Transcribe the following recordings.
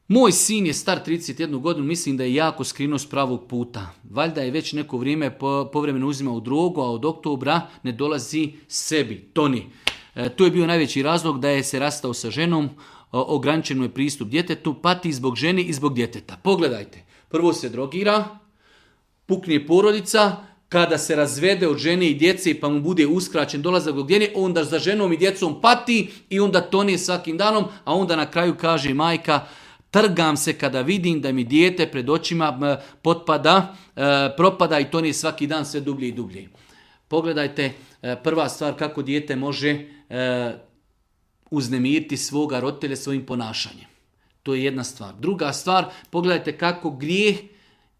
Moj sin je star 31 godinu, mislim da je jako skrenuo s pravog puta. Valjda je već neko vrijeme povremeno uzimao drogu, a od oktobra ne dolazi sebi, toni. To je bio najveći razlog da je se rastao sa ženom, ograničen je pristup djetetu, pati zbog žene i zbog djeteta. Pogledajte, prvo se drogira, pukne porodica, kada se razvede od žene i djece pa mu bude uskraćen dolazak do gdje, onda za ženom i djecom pati i onda tone svakim danom, a onda na kraju kaže majka, trgam se kada vidim da mi dijete pred očima propada i tone svaki dan sve dublje i dublje. Pogledajte, prva stvar kako dijete može uznemiriti svoga roditelja svojim ponašanjem. To je jedna stvar. Druga stvar, pogledajte kako grijeh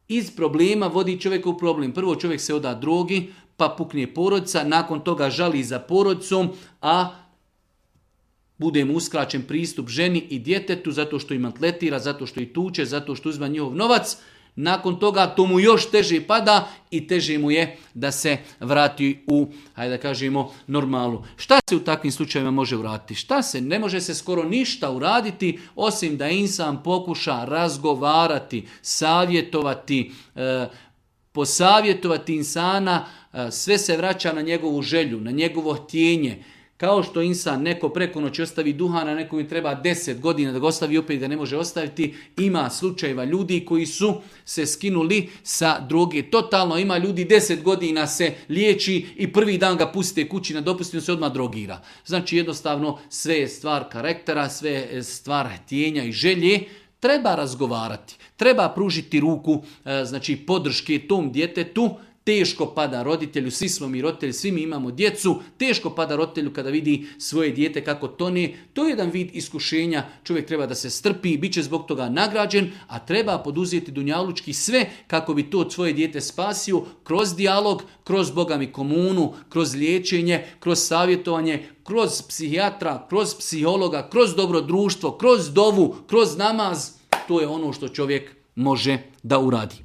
iz problema vodi čovjeka u problem. Prvo čovjek se oda drogi, pa pukne porodica, nakon toga žali za porodicom, a bude mu uskraćen pristup ženi i djetetu zato što im atletira, zato što ih tuče, zato što uzima njihov novac. Nakon toga to mu još teže pada i teže mu je da se vrati u, hajde da kažemo, normalu. Šta se u takvim slučajevima može uraditi? Šta se? Ne može se skoro ništa uraditi osim da insan pokuša razgovarati, savjetovati, posavjetovati insana, sve se vraća na njegovu želju, na njegovo htjenje. Kao što insan neko preko noći ostavi duhana, neko mi treba 10 godina da ga ostavi, opet ga ne može ostaviti. Ima slučajeva ljudi koji su se skinuli sa droge. Totalno ima ljudi 10 godina se liječi i prvi dan ga pustite kući na dopustinu, se odmah drogira. Znači jednostavno sve je stvar karaktera, sve je stvar htjenja i želje. Treba razgovarati, treba pružiti ruku, znači podrške tom djetetu. Teško pada roditelju, svi smo mi roditelji, svi mi imamo djecu, teško pada roditelju kada vidi svoje dijete kako tone. To je jedan vid iskušenja, čovjek treba da se strpi, bit će zbog toga nagrađen, a treba poduzeti dunjalučki sve kako bi to svoje dijete spasio kroz dijalog, kroz Boga mi komunu, kroz liječenje, kroz savjetovanje, kroz psihijatra, kroz psihologa, kroz dobro društvo, kroz dovu, kroz namaz. To je ono što čovjek može da uradi.